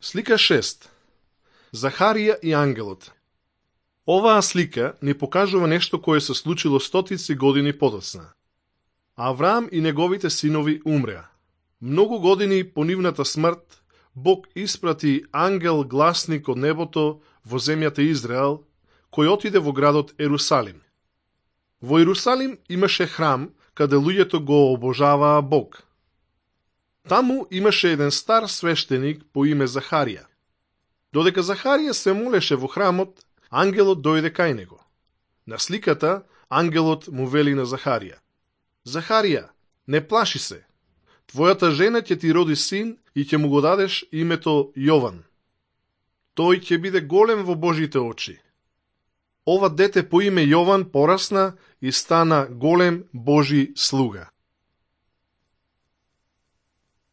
Слика 6. Захарија и ангелот. Оваа слика ни покажува нешто кое се случило стотици години подоцна. Авраам и неговите синови умреа. Многу години по нивната смрт, Бог испрати ангел гласник од небото во земјата Израел, кој отиде во градот Ерусалим. Во Ерусалим имаше храм, каде луѓето го обожаваа Бог. Таму имаше еден стар свештеник по име Захарија. Додека Захарија се молеше во храмот, ангелот дојде кај него. На сликата, ангелот му вели на Захарија: Захарија, не плаши се. Твојата жена ќе ти роди син и ќе му го дадеш името Јован. Тој ќе биде голем во Божите очи. Ова дете по име Јован порасна и стана голем Божи слуга.